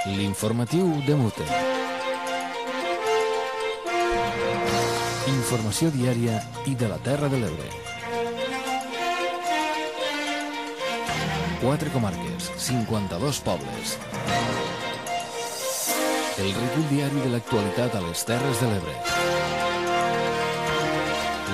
L'informatiu de Mute. Informació diària i de la Terra de l'Ebre. 4 comarques, 52 pobles. El recull diari de l'actualitat a les Terres de l'Ebre.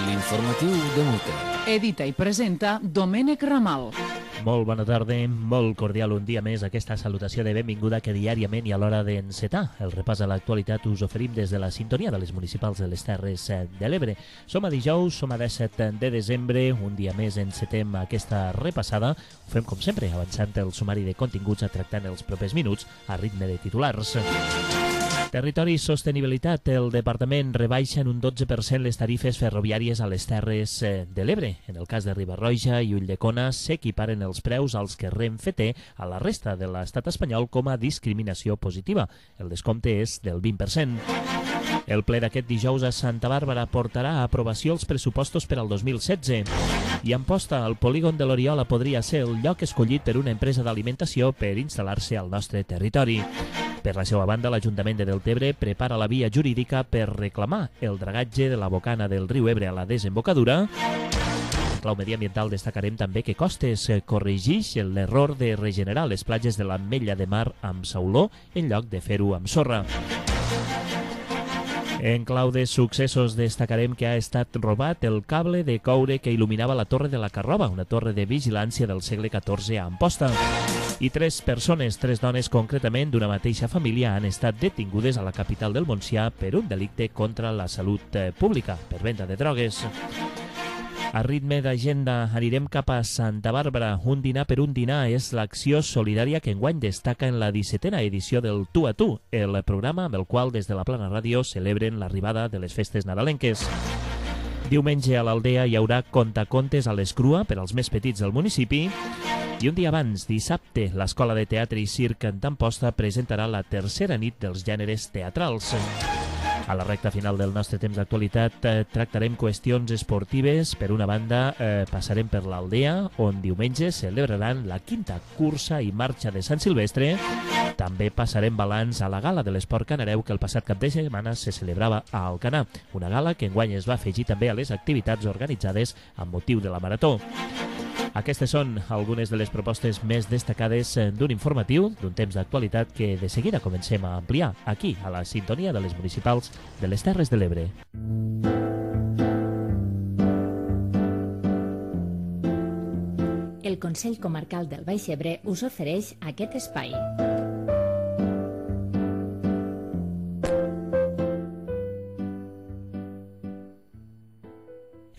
L'informatiu de Mute. Edita i presenta Domènec Ramal. Molt bona tarda, molt cordial un dia més aquesta salutació de benvinguda que diàriament i a l'hora d'encetar el repàs a l'actualitat us oferim des de la sintonia de les municipals de les Terres de l'Ebre. Som a dijous, som a 17 de desembre, un dia més encetem aquesta repassada. Ho fem com sempre, avançant el sumari de continguts a tractar en els propers minuts a ritme de titulars. Territori i Sostenibilitat. El Departament rebaixa en un 12% les tarifes ferroviàries a les Terres de l'Ebre. En el cas de Riba-roja i Ulldecona s'equiparen els preus als que Renfe té a la resta de l'estat espanyol com a discriminació positiva. El descompte és del 20%. El ple d'aquest dijous a Santa Bàrbara portarà a aprovació els pressupostos per al 2016. I Amposta, el polígon de l'Oriola podria ser el lloc escollit per una empresa d'alimentació per instal·lar-se al nostre territori. Per la seva banda, l'Ajuntament de Deltebre prepara la via jurídica per reclamar el dragatge de la bocana del riu Ebre a la desembocadura. En clau mediambiental destacarem també que Costes corregeix l'error de regenerar les platges de l'Ametlla de Mar amb sauló en lloc de fer-ho amb sorra. En clau de successos destacarem que ha estat robat el cable de coure que il·luminava la Torre de la Carroba, una torre de vigilància del segle XIV a Amposta. I 3 persones, 3 dones concretament d'una mateixa família, han estat detingudes a la capital del Montsià per un delicte contra la salut pública, per venda de drogues. A ritme d'agenda anirem cap a Santa Bàrbara. Un dinar per un dinar és l'acció solidària que enguany destaca en la 17a edició del Tu a Tu, el programa amb el qual des de la Plana Ràdio celebren l'arribada de les festes nadalenques. Diumenge a l'Aldea hi haurà contacontes a l'Escrua per als més petits del municipi. I un dia abans, dissabte, l'Escola de Teatre i Circ d'Amposta presentarà la tercera nit dels gèneres teatrals. A la recta final del nostre temps d'actualitat tractarem qüestions esportives. Per una banda, passarem per l'Aldea, on diumenge celebraran la 5a cursa i marxa de Sant Silvestre. També passarem balanç a la gala de l'esport canareu que el passat cap de setmana se celebrava a Alcanar, una gala que enguany es va afegir també a les activitats organitzades amb motiu de la marató. Aquestes són algunes de les propostes més destacades d'un informatiu, d'un temps d'actualitat que de seguida comencem a ampliar aquí, a la sintonia de les municipals de les Terres de l'Ebre. El Consell Comarcal del Baix Ebre us ofereix aquest espai.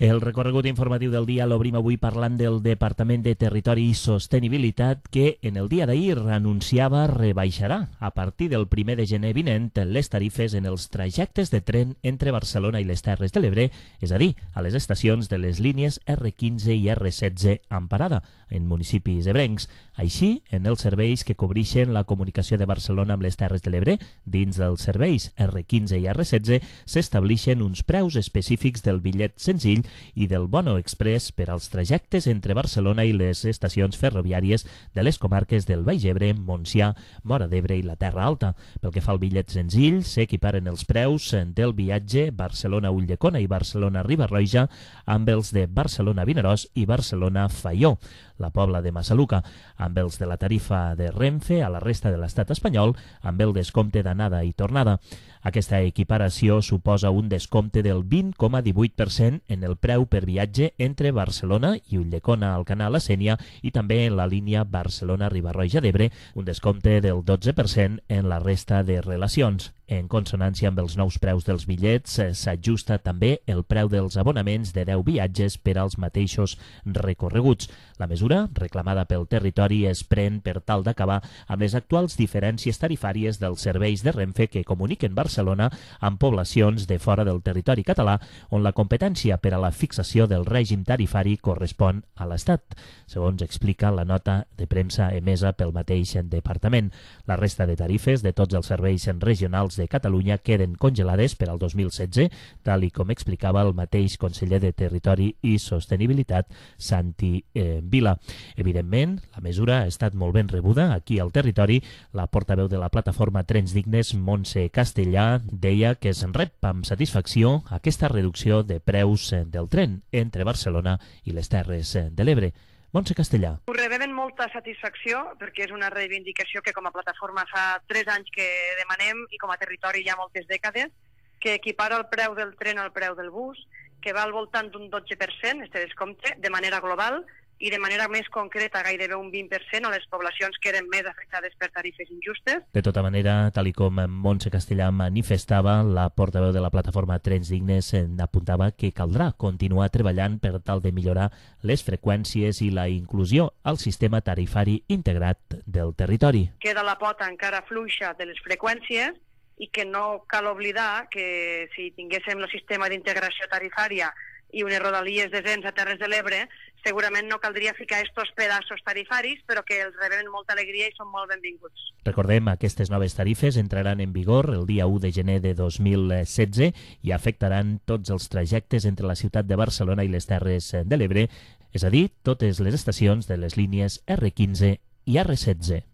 El recorregut informatiu del dia l'obrim avui parlant del Departament de Territori i Sostenibilitat que en el dia d'ahir anunciava rebaixarà a partir del 1 de gener vinent les tarifes en els trajectes de tren entre Barcelona i les Terres de l'Ebre, és a dir, a les estacions de les línies R15 i R16 amb parada en municipis ebrencs. Així, en els serveis que cobreixen la comunicació de Barcelona amb les Terres de l'Ebre, dins dels serveis R15 i R16 s'establixen uns preus específics del bitllet senzill i del Bono Express per als trajectes entre Barcelona i les estacions ferroviàries de les comarques del Baix Ebre, Montsià, Móra d'Ebre i la Terra Alta. Pel que fa al bitllet senzill, s'equiparen els preus del viatge Barcelona-Ulldecona i Barcelona-Riba-roja amb els de Barcelona-Vinaròs i Barcelona-Faió, la Pobla de Massaluca, amb els de la tarifa de Renfe a la resta de l'estat espanyol, amb el descompte d'anada i tornada. Aquesta equiparació suposa un descompte del 20,18% en el preu per viatge entre Barcelona i Ulldecona, Alcanar, la Sénia i també en la línia Barcelona-Riba-roja d'Ebre, un descompte del 12% en la resta de relacions. En consonància amb els nous preus dels bitllets, s'ajusta també el preu dels abonaments de 10 viatges per als mateixos recorreguts. La mesura, reclamada pel territori, es pren per tal d'acabar amb les actuals diferències tarifàries dels serveis de Renfe que comuniquen Barcelona amb poblacions de fora del territori català, on la competència per a la fixació del règim tarifari correspon a l'Estat, segons explica la nota de premsa emesa pel mateix departament. La resta de tarifes de tots els serveis regionals de Catalunya queden congelades per al 2016, tal i com explicava el mateix conseller de Territori i Sostenibilitat, Santi Vila. Evidentment, la mesura ha estat molt ben rebuda aquí al territori. La portaveu de la plataforma Trens Dignes, Montse Castellà, deia que es rep amb satisfacció aquesta reducció de preus del tren entre Barcelona i les Terres de l'Ebre. Montse Castellà. Ho rebem amb molta satisfacció perquè és una reivindicació que com a plataforma fa 3 anys que demanem i com a territori hi ha moltes dècades, que equipara el preu del tren al preu del bus, que va al voltant d'un 12%, este descompte, de manera global, i de manera més concreta gairebé un 20% a les poblacions que eren més afectades per tarifes injustes. De tota manera, tal i com Montse Castellà manifestava, la portaveu de la plataforma Trens Dignes apuntava que caldrà continuar treballant per tal de millorar les freqüències i la inclusió al sistema tarifari integrat del territori. Queda la pota encara fluixa de les freqüències i que no cal oblidar que si tinguéssim el sistema d'integració tarifària i unes rodalies decents a Terres de l'Ebre, segurament no caldria ficar estos pedaços tarifaris, però que els rebem amb molta alegria i són molt benvinguts. Recordem, aquestes noves tarifes entraran en vigor el dia 1 de gener de 2016 i afectaran tots els trajectes entre la ciutat de Barcelona i les Terres de l'Ebre, és a dir, totes les estacions de les línies R15 i R16.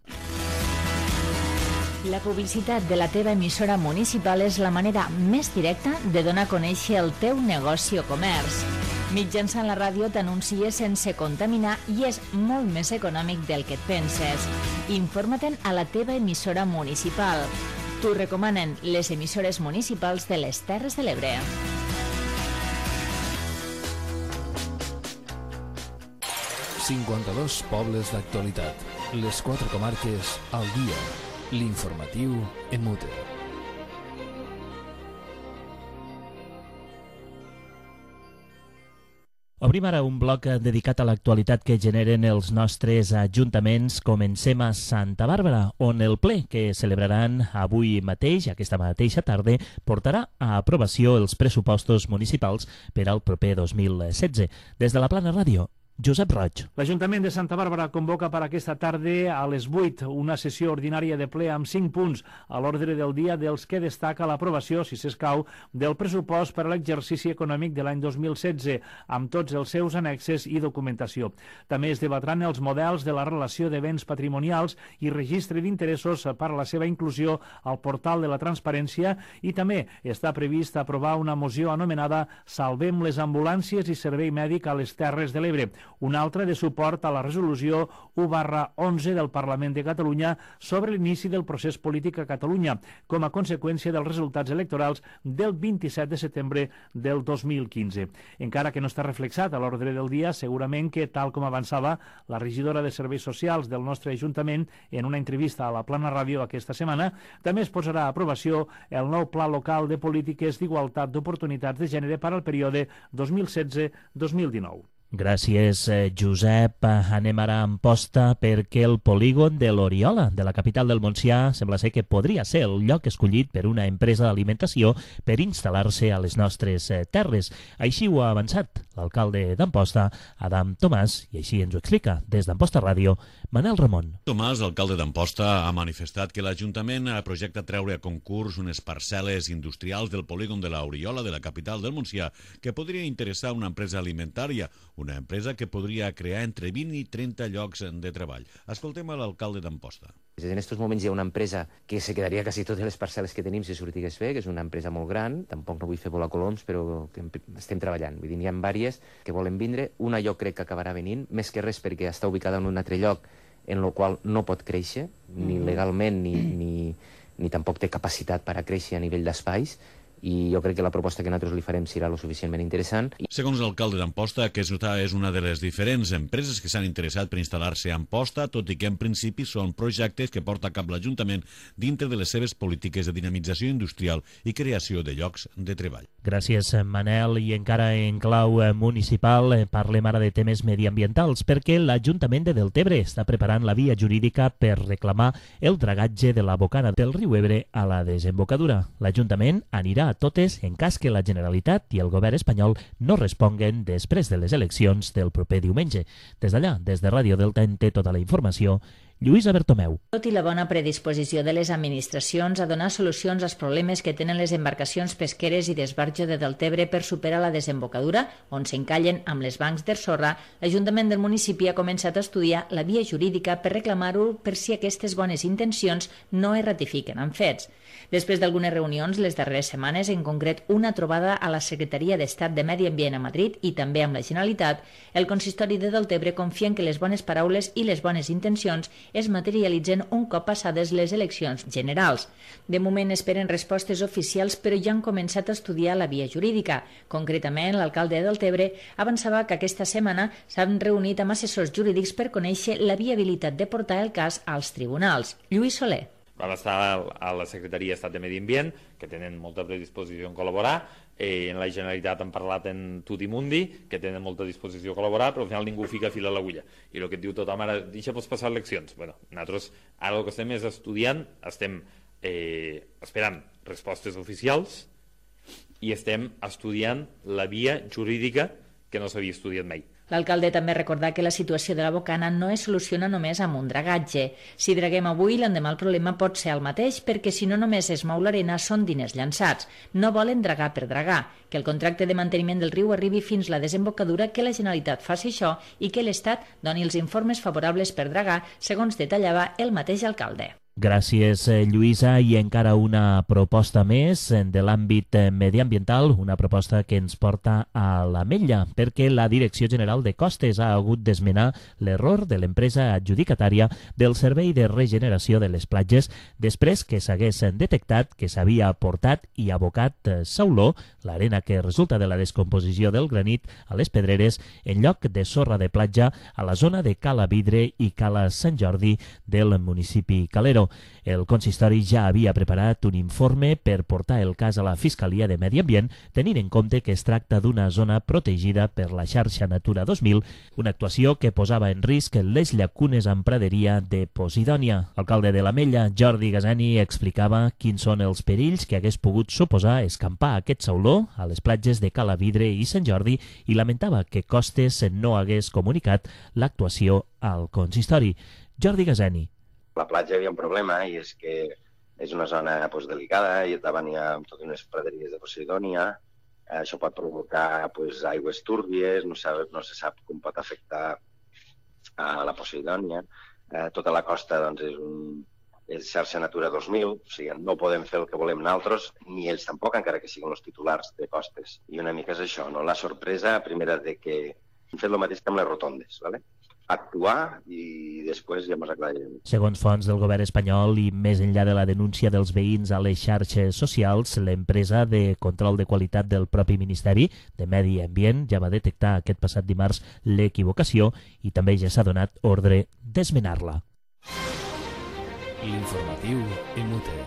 La publicitat de la teva emissora municipal és la manera més directa de donar a conèixer el teu negoci o comerç. Mitjançant la ràdio t'anuncies sense contaminar i és molt més econòmic del que et penses. Informa-te'n a la teva emissora municipal. T'ho recomanen les emissores municipals de les Terres de l'Ebre. ...52 pobles d'actualitat. Les 4 comarques al dia. L'informatiu en mute. Obrim ara un bloc dedicat a l'actualitat que generen els nostres ajuntaments. Comencem a Santa Bàrbara, on el ple que celebraran avui mateix, aquesta mateixa tarda, portarà a aprovació els pressupostos municipals per al proper 2016. Des de la Plana Ràdio, Josep Roig. L'Ajuntament de Santa Bàrbara convoca per aquesta tarda a les 8 una sessió ordinària de ple amb 5 punts a l'ordre del dia, dels que destaca l'aprovació, si s'escau, del pressupost per a l'exercici econòmic de l'any 2016, amb tots els seus annexes i documentació. També es debatran els models de la relació de béns patrimonials i registre d'interessos per a la seva inclusió al portal de la transparència, i també està previst aprovar una moció anomenada Salvem les ambulàncies i servei mèdic a les Terres de l'Ebre, una altra de suport a la resolució 1/11 del Parlament de Catalunya sobre l'inici del procés polític a Catalunya, com a conseqüència dels resultats electorals del 27 de setembre del 2015. Encara que no està reflexat a l'ordre del dia, segurament que, tal com avançava la regidora de Serveis Socials del nostre Ajuntament en una entrevista a la Plana Ràdio aquesta setmana, també es posarà a aprovació el nou Pla Local de Polítiques d'Igualtat d'Oportunitats de Gènere per al període 2016-2019. Gràcies, Josep. Anem ara a Amposta perquè el polígon de l'Oriola, de la capital del Montsià, sembla ser que podria ser el lloc escollit per una empresa d'alimentació per instal·lar-se a les nostres terres. Així ho ha avançat l'alcalde d'Amposta, Adam Tomàs, i així ens ho explica des d'Amposta Ràdio, Manel Ramon. Tomàs, alcalde d'Amposta, ha manifestat que l'Ajuntament projecta treure a concurs unes parcel·les industrials del polígon de l'Oriola, de la capital del Montsià, que podria interessar una empresa alimentària, una empresa que podria crear entre 20 i 30 llocs de treball. Escoltem a l'alcalde d'Amposta. En aquests moments hi ha una empresa que se quedaria quasi totes les parcel·les que tenim si sortigués bé, que és una empresa molt gran, tampoc no vull fer volar coloms, però que estem treballant. Vull dir, n'hi ha diverses que volen vindre, una jo crec que acabarà venint, més que res perquè està ubicada en un altre lloc en el qual no pot créixer, ni legalment ni tampoc té capacitat per a créixer a nivell d'espais, i jo crec que la proposta que nosaltres li farem serà lo suficientment interessant. Segons l'alcalde d'Amposta, aquesta és una de les diferents empreses que s'han interessat per instal·lar-se a Amposta, tot i que en principi són projectes que porta a cap l'Ajuntament dintre de les seves polítiques de dinamització industrial i creació de llocs de treball. Gràcies, Manel. I encara en clau municipal parlem ara de temes mediambientals, perquè l'Ajuntament de Deltebre està preparant la via jurídica per reclamar el dragatge de la bocana del riu Ebre a la desembocadura. L'Ajuntament anirà a totes en cas que la Generalitat i el govern espanyol no responguen després de les eleccions del proper diumenge. Des d'allà, des de Ràdio Delta, en té tota la informació Lluïsa Bertomeu. Tot i la bona predisposició de les administracions a donar solucions als problemes que tenen les embarcacions pesqueres i d'esbarjo de Deltebre per superar la desembocadura, on s'encallen amb les bancs de sorra, l'Ajuntament del municipi ha començat a estudiar la via jurídica per reclamar-ho per si aquestes bones intencions no es ratifiquen en fets. Després d'algunes reunions les darreres setmanes, en concret una trobada a la Secretaria d'Estat de Medi Ambient a Madrid i també amb la Generalitat, el consistori de Deltebre confia en que les bones paraules i les bones intencions es materialitzen un cop passades les eleccions generals. De moment esperen respostes oficials, però ja han començat a estudiar la via jurídica. Concretament, l'alcalde de Deltebre avançava que aquesta setmana s'han reunit amb assessors jurídics per conèixer la viabilitat de portar el cas als tribunals. Lluís Soler. Vam estar a la Secretaria d'Estat de Medi Ambient, que tenen molta predisposició en col·laborar. En la Generalitat han parlat en Tutti Mundi, que tenen molta disposició a col·laborar, però al final ningú fica fil a l'agulla. I el que et diu tothom ara, deixa-nos passar eleccions. Bueno, nosaltres ara el que estem és estudiant, estem esperant respostes oficials i estem estudiant la via jurídica que no s'havia estudiat mai. L'alcalde també recordà que la situació de la Bocana no es soluciona només amb un dragatge. Si draguem avui, l'endemà el problema pot ser el mateix, perquè si no només es mou l'arena són diners llançats. No volen dragar per dragar, que el contracte de manteniment del riu arribi fins la desembocadura, que la Generalitat faci això i que l'Estat doni els informes favorables per dragar, segons detallava el mateix alcalde. Gràcies, Lluïsa. I encara una proposta més de l'àmbit mediambiental, una proposta que ens porta a l'Ametlla, perquè la Direcció General de Costes ha hagut d'esmenar l'error de l'empresa adjudicatària del Servei de Regeneració de les Platges després que s'hagués detectat que s'havia aportat i abocat sauló, l'arena que resulta de la descomposició del granit, a les pedreres, en lloc de sorra de platja a la zona de Cala Vidre i Cala Sant Jordi del municipi Calero. El consistori ja havia preparat un informe per portar el cas a la Fiscalia de Medi Ambient, tenint en compte que es tracta d'una zona protegida per la xarxa Natura 2000, una actuació que posava en risc les llacunes amb praderia de Posidònia. L'alcalde de l'Ametlla, Jordi Gaseni, explicava quins són els perills que hagués pogut suposar escampar aquest sauló a les platges de Cala Vidre i Sant Jordi i lamentava que Costes no hagués comunicat l'actuació al consistori. Jordi Gaseni. La platja hi havia un problema i és que és una zona delicada i davant hi ha totes unes praderies de Posidònia. Això pot provocar aigües túrbies, no se sap com pot afectar a la Posidònia. Tota la costa és xarxa Natura 2000, o sigui, no podem fer el que volem nosaltres, ni ells tampoc, encara que siguin els titulars de costes. I una mica és això, no? La sorpresa primera de que hem fet el mateix que amb les rotondes, ¿vale? Actuar i després ja ens aclararem. Segons fonts del govern espanyol i més enllà de la denúncia dels veïns a les xarxes socials, l'empresa de control de qualitat del propi Ministeri de Medi Ambient ja va detectar aquest passat dimarts l'equivocació i també ja s'ha donat ordre d'esmenar-la. L'informatiu Imute.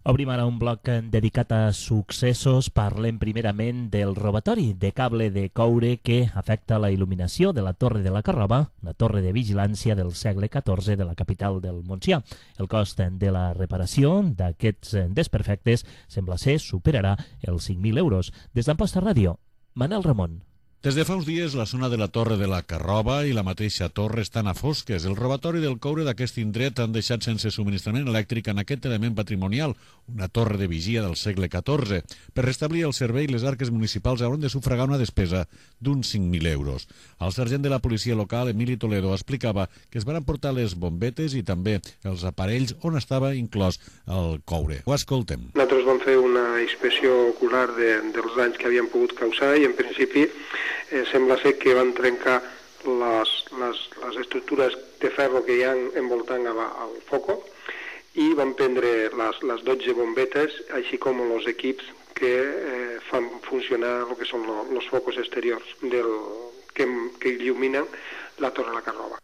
Obrim ara un bloc dedicat a successos. Parlem primerament del robatori de cable de coure que afecta la il·luminació de la Torre de la Carroba, una torre de vigilància del segle XIV de la capital del Montsià. El cost de la reparació d'aquests desperfectes sembla ser superarà els 5.000 euros. Des d'Amposta Ràdio, Manel Ramon. Des de fa uns dies, la zona de la Torre de la Carroba i la mateixa torre estan a fosques. El robatori del coure d'aquest indret han deixat sense subministrament elèctric en aquest element patrimonial, una torre de vigia del segle XIV. Per restablir el servei, les arques municipals hauran de sufragar una despesa d'uns 5.000 euros. El sergent de la policia local, Emili Toledo, explicava que es van portar les bombetes i també els aparells on estava inclòs el coure. Ho escoltem. Nosaltres vam fer una inspecció ocular dels danys que havien pogut causar i, en principi, sembla ser que van trencar les estructures de ferro que hi ha envoltant al foco i van prendre les 12 bombetes, així com els equips que fan funcionar el que són els focus exteriors que il·luminen la Torre de la Carroba.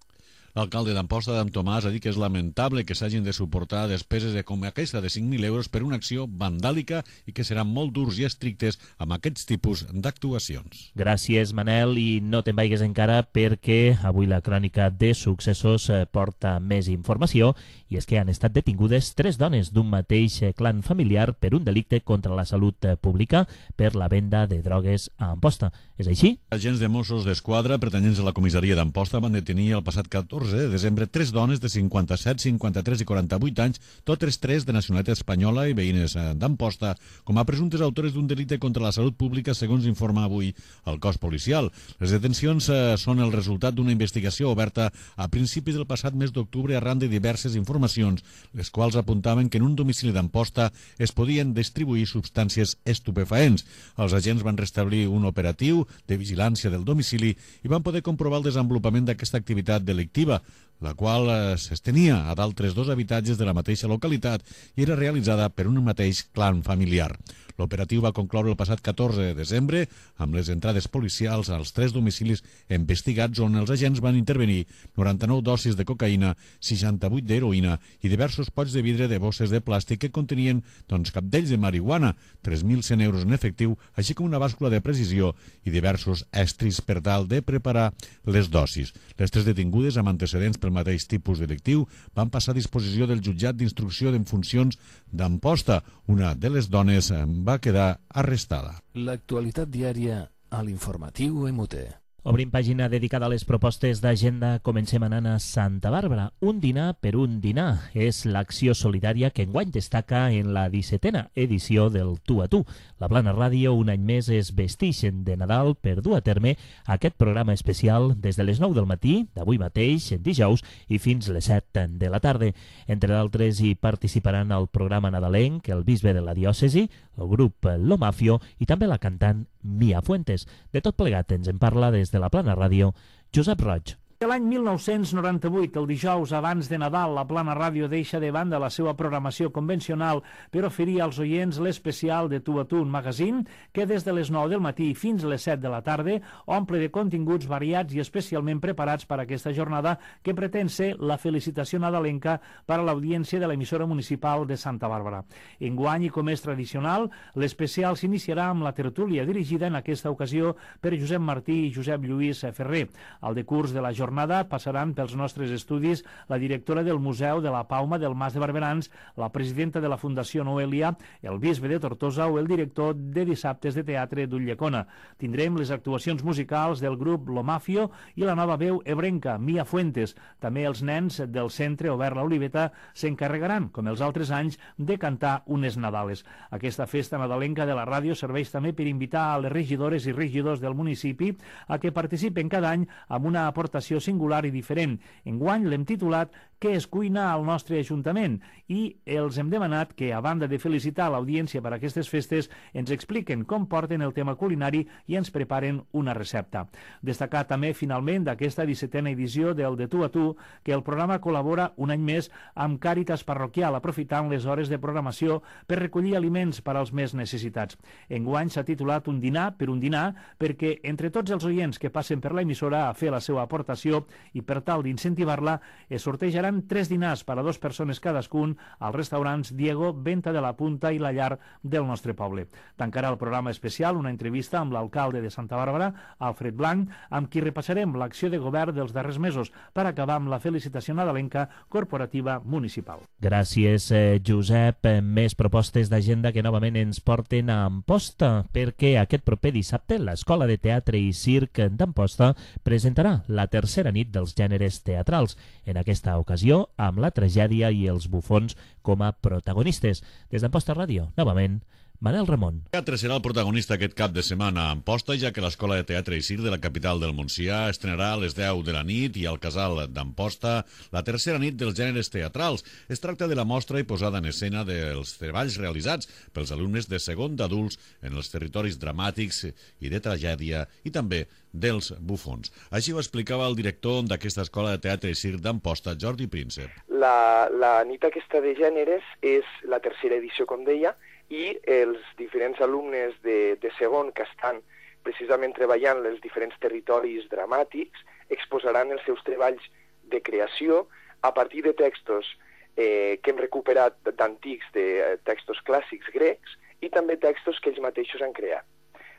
L'alcalde d'Amposta, d'en Tomàs, ha dit que és lamentable que s'hagin de suportar despeses com aquesta de 5.000 euros per una acció vandàlica i que seran molt durs i estrictes amb aquests tipus d'actuacions. Gràcies, Manel, i no te'n vaigues encara perquè avui la crònica de successos porta més informació, i és que han estat detingudes 3 dones d'un mateix clan familiar per un delicte contra la salut pública per la venda de drogues a Amposta. És així? Agents de Mossos d'Esquadra pertanyents a la comissaria d'Amposta van detenir el passat 14 de desembre 3 dones de 57, 53 i 48 anys, totes 3 de nacionalitat espanyola i veïnes d'Amposta, com a presumptes autores d'un delicte contra la salut pública, segons informa avui el cos policial. Les detencions són el resultat d'una investigació oberta a principis del passat mes d'octubre arran de diverses informacions, les quals apuntaven que en un domicili d'Amposta es podien distribuir substàncies estupefaents. Els agents van restablir un operatiu de vigilància del domicili i van poder comprovar el desenvolupament d'aquesta activitat delictiva, la qual s'estenia a d'altres 2 habitatges de la mateixa localitat i era realitzada per un mateix clan familiar. L'operatiu va concloure el passat 14 de desembre amb les entrades policials als 3 domicilis investigats on els agents van intervenir 99 dosis de cocaïna, 68 d'heroïna i diversos pots de vidre de bosses de plàstic que contenien capdells de marihuana, 3.100 euros en efectiu, així com una bàscula de precisió i diversos estris per tal de preparar les dosis. Les 3 detingudes amb antecedents pel mateix tipus delictiu van passar a disposició del jutjat d'instrucció en funcions d'Amposta. Una de les dones va quedar arrestada. L'actualitat diària a l'informatiu MUT. Obrim pàgina dedicada a les propostes d'agenda. Comencem anant a Santa Bàrbara. Un dinar per un dinar és l'acció solidària que enguany destaca en la 17a edició del Tu a Tu. La Plana Ràdio un any més es vestixen de Nadal per dur a terme aquest programa especial des de les 9 del matí, d'avui mateix, dijous, i fins les 7 de la tarda. Entre d'altres hi participaran el programa nadalenc, el bisbe de la diòcesi, el grup Lo Mafio i també la cantant Mia Fuentes. De tot plegat ens en parla des de la Plana Ràdio, Josep Roig. L'any 1998, el dijous abans de Nadal, la Plana Ràdio deixa de banda la seva programació convencional per oferir als oients l'especial de Tu a Tu, un magazín que des de les 9 del matí fins a les 7 de la tarda omple de continguts variats i especialment preparats per a aquesta jornada que pretén ser la felicitació nadalenca per a l'audiència de l'emissora municipal de Santa Bàrbara. Enguany, i com és tradicional, l'especial s'iniciarà amb la tertúlia dirigida en aquesta ocasió per Josep Martí i Josep Lluís Ferrer. Al decurs de la jornada passaran pels nostres estudis la directora del Museu de la Pauma del Mas de Barberans, la presidenta de la Fundació Noelia, el bisbe de Tortosa o el director de dissabtes de teatre d'Ulldecona. Tindrem les actuacions musicals del grup Lo Mafio i la nova veu ebrenca, Mia Fuentes. També els nens del Centre Obert La Oliveta s'encarregaran, com els altres anys, de cantar unes Nadales. Aquesta festa nadalenca de la ràdio serveix també per invitar a les regidores i regidors del municipi a que participen cada any amb una aportació singular i diferent. Enguany l'hem titulat Què es cuina al nostre Ajuntament i els hem demanat que, a banda de felicitar l'audiència per aquestes festes, ens expliquen com porten el tema culinari i ens preparen una recepta. Destacar també, finalment, d'aquesta 17a edició del De Tu a Tu, que el programa col·labora un any més amb Càritas Parroquial, aprofitant les hores de programació per recollir aliments per als més necessitats. Enguany s'ha titulat Un dinar per un dinar perquè entre tots els oients que passen per l'emissora a fer la seva aportació i per tal d'incentivar-la es sortejaran 3 dinars per a 2 persones cadascun als restaurants Diego, Venta de la Punta i La Llar del nostre poble. Tancarà el programa especial una entrevista amb l'alcalde de Santa Bàrbara, Alfred Blanc, amb qui repassarem l'acció de govern dels darrers mesos per acabar amb la felicitació nadalenca corporativa municipal. Gràcies, Josep. Més propostes d'agenda que novament ens porten a Amposta, perquè aquest proper dissabte l'Escola de Teatre i Circ d'Amposta presentarà la tercera nit dels gèneres teatrals, en aquesta ocasió amb la tragèdia i els bufons com a protagonistes. Des d'Amposta Ràdio, novament, Manel Ramon. El teatre serà el protagonista aquest cap de setmana a Amposta, ja que l'Escola de Teatre i Circ de la capital del Montsià estrenarà a les 10 de la nit i al Casal d'Amposta la tercera nit dels gèneres teatrals. Es tracta de la mostra i posada en escena dels treballs realitzats pels alumnes de segon d'adults en els territoris dramàtics i de tragèdia i també dels bufons. Així ho explicava el director d'aquesta Escola de Teatre i Circ d'Amposta, Jordi Príncep. La nit aquesta de gèneres és la tercera edició, com deia, i els diferents alumnes de segon que estan precisament treballant els diferents territoris dramàtics exposaran els seus treballs de creació a partir de textos que hem recuperat d'antics, de textos clàssics grecs, i també textos que ells mateixos han creat.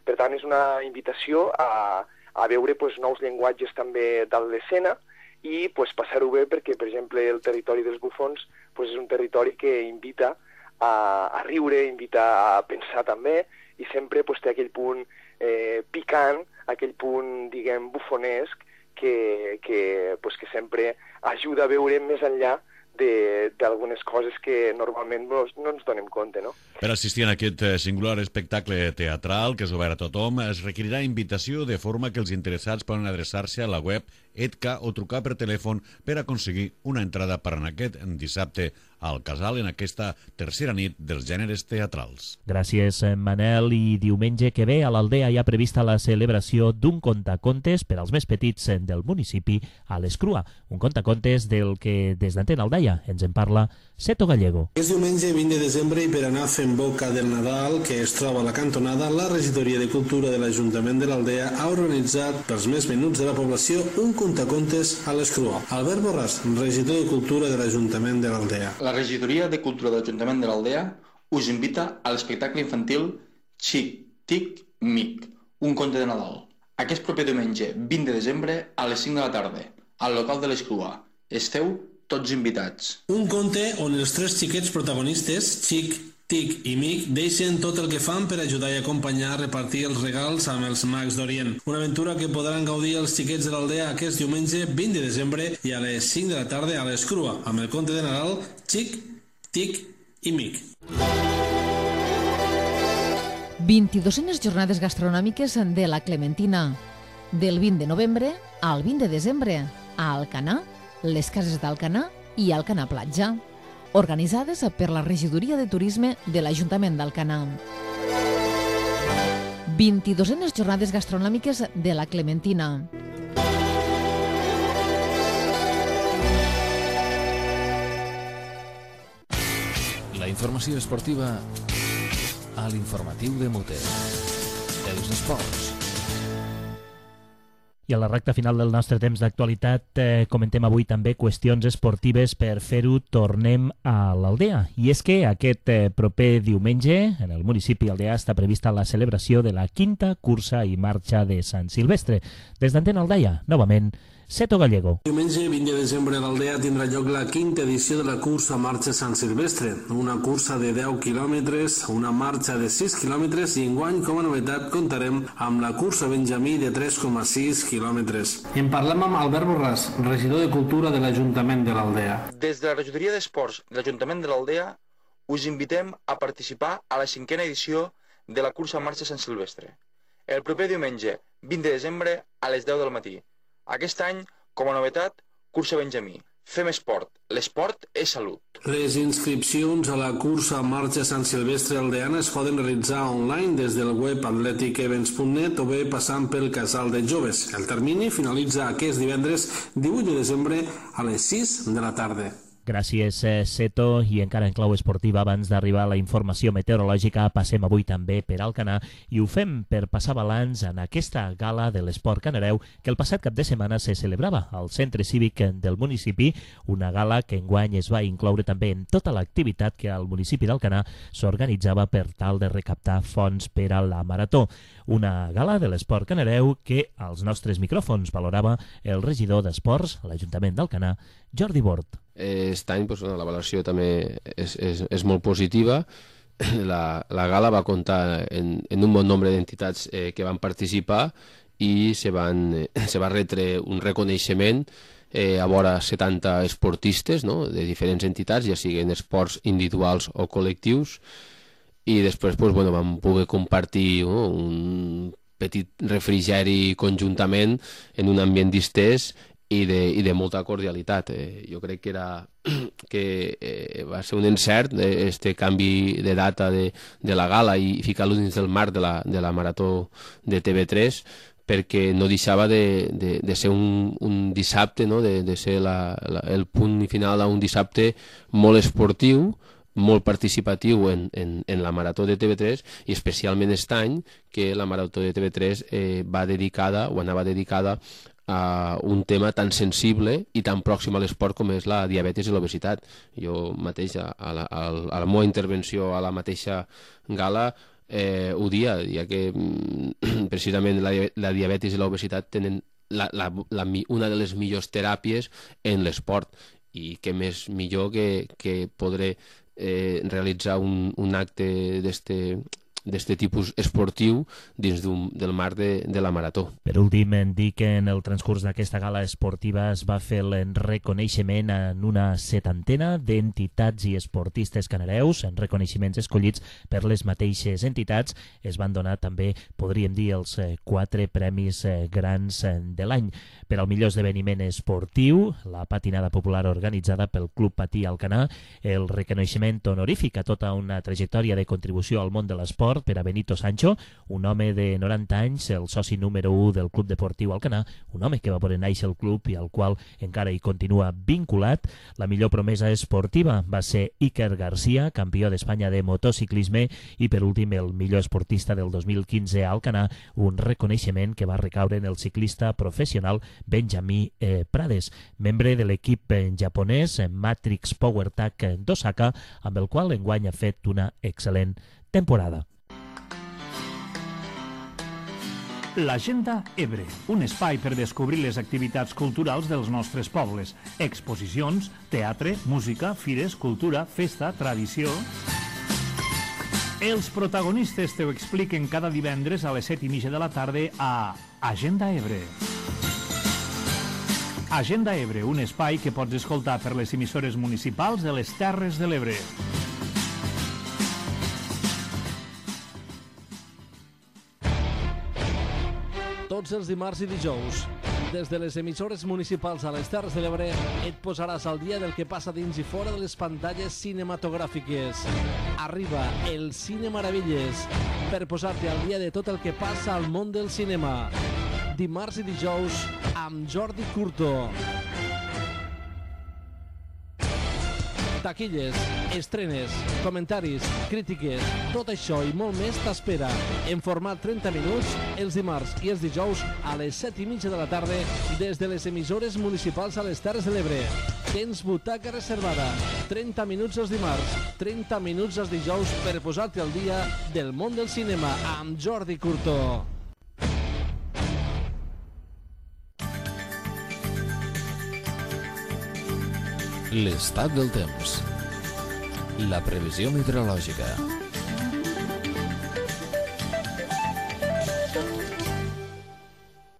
Per tant, és una invitació a veure nous llenguatges també de l'escena i passar-ho bé perquè, per exemple, el territori dels bufons és un territori que invita a riure, invita a pensar també, i sempre té aquell punt picant, aquell punt, diguem, bufonesc, que sempre ajuda a veure més enllà d'algunes coses que normalment no ens donem compte, no? Per assistir a aquest singular espectacle teatral, que és obert a tothom, es requerirà invitació de forma que els interessats poden adreçar-se a la web EDCA o trucar per telèfon per aconseguir una entrada per anar aquest dissabte al Casal en aquesta tercera nit dels gèneres teatrals. Gràcies, Manel. I diumenge que ve a l'Aldea hi ha prevista la celebració d'un contacontes per als més petits del municipi a l'Escrua. Un contacontes del que des d'Antena Aldaia ens en parla Seto Gallego. És diumenge 20 de desembre i per anar fent boca del Nadal, que es troba a la cantonada, la Regidoria de Cultura de l'Ajuntament de l'Aldea ha organitzat pels més menuts de la població un contacontes a l'Escrua. Albert Borràs, regidor de Cultura de l'Ajuntament de l'Aldea. La Regidoria de Cultura de l'Ajuntament de l'Aldea us invita a l'espectacle infantil Xic, Tic, Mic, un conte de Nadal. Aquest proper diumenge 20 de desembre a les 5 de la tarda, al local de l'Escrua. Esteu tots invitats. Un conte on els tres xiquets protagonistes, Xic, Tic i Mic, deixen tot el que fan per ajudar i acompanyar a repartir els regals amb els mags d'Orient. Una aventura que podran gaudir els xiquets de l'Aldea aquest diumenge 20 de desembre i a les 5 de la tarda a l'Escrua, amb el conte de Nadal Xic, Tic i Mic. 22enes jornades gastronòmiques de la Clementina. Del 20 de novembre al 20 de desembre a Alcanar, les cases d'Alcanar i Alcanar Platja, organitzades per la Regidoria de Turisme de l'Ajuntament d'Alcanar. 22enes jornades gastronòmiques de la Clementina. La informació esportiva a l'informatiu de Mote. Els esports. I a la recta final del nostre temps d'actualitat comentem avui també qüestions esportives. Per fer-ho tornem a l'Aldea. I és que aquest proper diumenge en el municipi Aldea està prevista la celebració de la 5a cursa i marxa de Sant Silvestre. Des d'Antena Aldaia, novament, Seto Gallego. Diumenge 20 de desembre a l'Aldea tindrà lloc la 5a edició de la cursa Marxa Sant Silvestre, una cursa de 10 quilòmetres, una marxa de 6 quilòmetres i enguany, com a novetat, comptarem amb la cursa Benjamí de 3,6 quilòmetres. En parlem amb Albert Borràs, regidor de Cultura de l'Ajuntament de l'Aldea. Des de la Regidoria d'Esports de l'Ajuntament de l'Aldea us invitem a participar a la 5a edició de la cursa Marxa Sant Silvestre, el proper diumenge 20 de desembre a les 10 del matí. Aquest any, com a novetat, cursa Benjamí. Fem esport. L'esport és salut. Les inscripcions a la cursa Marxa Sant Silvestre Aldeana es poden realitzar online des del web atleticevents.net o bé passant pel Casal de Joves. El termini finalitza aquest divendres 18 de desembre a les 6 de la tarda. Gràcies, Seto. I encara en clau esportiva, abans d'arribar a la informació meteorològica, passem avui també per Alcanar i ho fem per passar balanç en aquesta gala de l'esport canareu que el passat cap de setmana se celebrava al Centre Cívic del municipi, una gala que enguany es va incloure també en tota l'activitat que al municipi d'Alcanar s'organitzava per tal de recaptar fons per a la marató. Una gala de l'esport canareu que als nostres micròfons valorava el regidor d'Esports a l'Ajuntament d'Alcanar, Jordi Bort. Aquest any la valoració també és molt positiva. La gala va comptar en un bon nombre d'entitats que van participar i se va retre un reconeixement a vora 70 esportistes de diferents entitats, ja siguin esports individuals o col·lectius, i després vam poder compartir un petit refrigeri conjuntament en un ambient distès i de molta cordialitat. Jo crec que va ser un encert este canvi de data de la gala i ficar-lo dins del marc de la marató de TV3, perquè no deixava de ser un dissabte, de ser el punt final d'un dissabte molt esportiu, molt participatiu en la marató de TV3, i especialment aquest any que la marató de TV3 anava dedicada un tema tan sensible i tan pròxim a l'esport com és la diabetis i l'obesitat. Jo mateix, a la meva intervenció a la mateixa gala, ho dia, ja que precisament la diabetis i l'obesitat tenen una de les millors teràpies en l'esport, i què més millor que podré realitzar un acte d'este tipus esportiu dins del marc de la marató. Per últim, dir que en el transcurs d'aquesta gala esportiva es va fer el reconeixement en una 70ena d'entitats i esportistes canareus, en reconeixements escollits per les mateixes entitats. Es van donar també, podríem dir, els 4 premis grans de l'any. Per al millor esdeveniment esportiu, la patinada popular organitzada pel Club Patí Alcanar, el reconeixement honorífic a tota una trajectòria de contribució al món de l'esport per a Benito Sancho, un home de 90 anys, el soci número 1 del Club Deportiu Alcanar, un home que va poder néixer el club i al qual encara hi continua vinculat. La millor promesa esportiva va ser Iker Garcia, campió d'Espanya de motociclisme, i per últim el millor esportista del 2015 a Alcanar, un reconeixement que va recaure en el ciclista professional Benjamí Prades, membre de l'equip japonès Matrix PowerTech d'Osaka, amb el qual enguany ha fet una excel·lent temporada. L'Agenda Ebre, un espai per descobrir les activitats culturals dels nostres pobles. Exposicions, teatre, música, fires, cultura, festa, tradició... Els protagonistes te ho expliquen cada divendres a les 7:30 de la tarda a Agenda Ebre. Agenda Ebre, un espai que pots escoltar per les emissores municipals de les Terres de l'Ebre. Tots els dimarts i dijous, des de les emissores municipals a les Terres de l'Ebre, et posaràs al dia del que passa dins i fora de les pantalles cinematogràfiques. Arriba el Cine Maravilles, per posar-te al dia de tot el que passa al món del cinema. Dimarts i dijous amb Jordi Curto. Taquilles, estrenes, comentaris, crítiques, tot això i molt més t'espera en format 30 minuts els dimarts i els dijous a les 7:30 de la tarda des de les emissores municipals a les Terres de l'Ebre. Tens butaca reservada, 30 minuts els dimarts, 30 minuts els dijous per posar-te al dia del món del cinema amb Jordi Curto. L'estat del temps. La previsió meteorològica.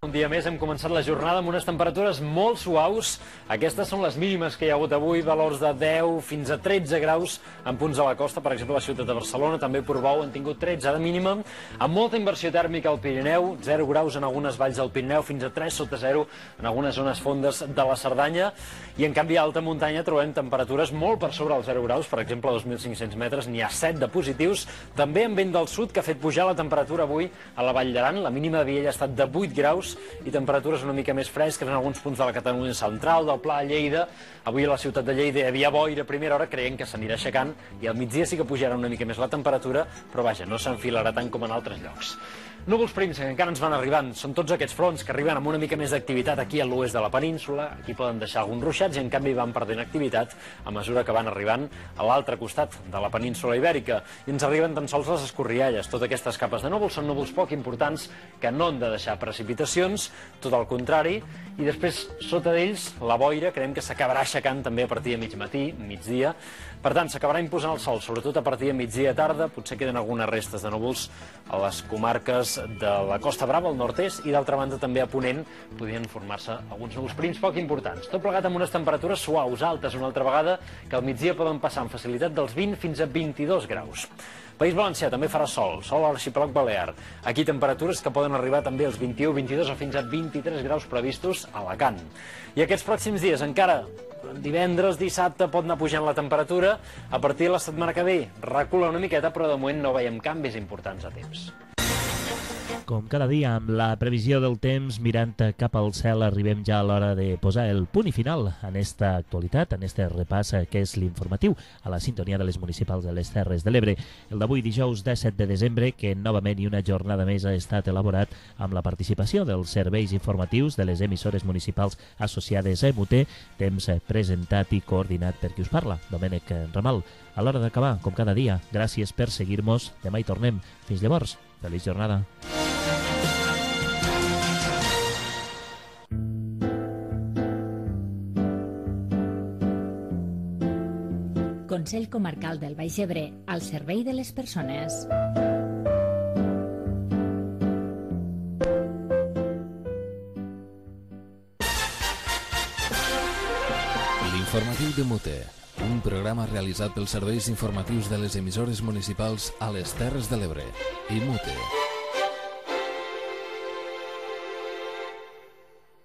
Un dia més hem començat la jornada amb unes temperatures molt suaus. Aquestes són les mínimes que hi ha hagut avui, valors de 10 fins a 13 graus en punts de la costa, per exemple a la ciutat de Barcelona, també Portbou han tingut 13 de mínima, amb molta inversió tèrmica al Pirineu, 0 graus en algunes valls del Pirineu, fins a 3 sota 0 en algunes zones fondes de la Cerdanya, i en canvi a alta muntanya trobem temperatures molt per sobre els 0 graus, per exemple a 2.500 metres n'hi ha 7 de positius, també amb vent del sud que ha fet pujar la temperatura avui a la Vall d'Aran, la mínima de Viella ha estat de 8 graus, i temperatures una mica més fresques en alguns punts de la Catalunya central, del Pla, Lleida. Avui a la ciutat de Lleida hi havia boira a primera hora, creiem que s'anirà aixecant, i al migdia sí que pujarà una mica més la temperatura, però vaja, no s'enfilarà tant com en altres llocs. Núvols prims que encara ens van arribant, són tots aquests fronts que arriben amb una mica més d'activitat aquí a l'oest de la península, aquí poden deixar alguns ruixats i en canvi van perdent activitat a mesura que van arribant a l'altre costat de la península ibèrica, i ens arriben tan sols les escorrialles. Totes aquestes capes de núvols són núvols poc importants que no han de deixar precipitacions, tot el contrari, i després sota d'ells la boira creiem que s'acabarà aixecant també a partir de mig matí, migdia. Per tant, s'acabarà imposant el sol, sobretot a partir de migdia i tarda, potser queden algunes restes de núvols a les comarques de la Costa Brava, al nord-est, i d'altra banda també a Ponent podien formar-se alguns núvols prims poc importants. Tot plegat amb unes temperatures suaus, altes una altra vegada, que al migdia poden passar amb facilitat dels 20 fins a 22 graus. País Valencià també farà sol a l'arxipèlag balear. Aquí temperatures que poden arribar també als 21, 22 o fins a 23 graus previstos a Alacant. I aquests pròxims dies encara, divendres, dissabte, pot anar pujant la temperatura. A partir de la setmana que ve recula una miqueta, però de moment no veiem canvis importants a temps. Com cada dia, amb la previsió del temps, mirant cap al cel, arribem ja a l'hora de posar el punt i final en esta actualitat, en este repàs que és l'informatiu a la sintonia de les municipals de les Terres de l'Ebre. El d'avui, dijous 17 de desembre, que novament i una jornada més ha estat elaborat amb la participació dels serveis informatius de les emissores municipals associades a MUT, temps presentat i coordinat per qui us parla, Domènec Ramal. A l'hora d'acabar, com cada dia, gràcies per seguir-nos. Demà hi tornem. Fins llavors, feliç jornada. Consell Comarcal del Baix Ebre, al servei de les persones. L'informatiu de MUTE, un programa realitzat pels serveis informatius de les emissores municipals a les Terres de l'Ebre i MUTE.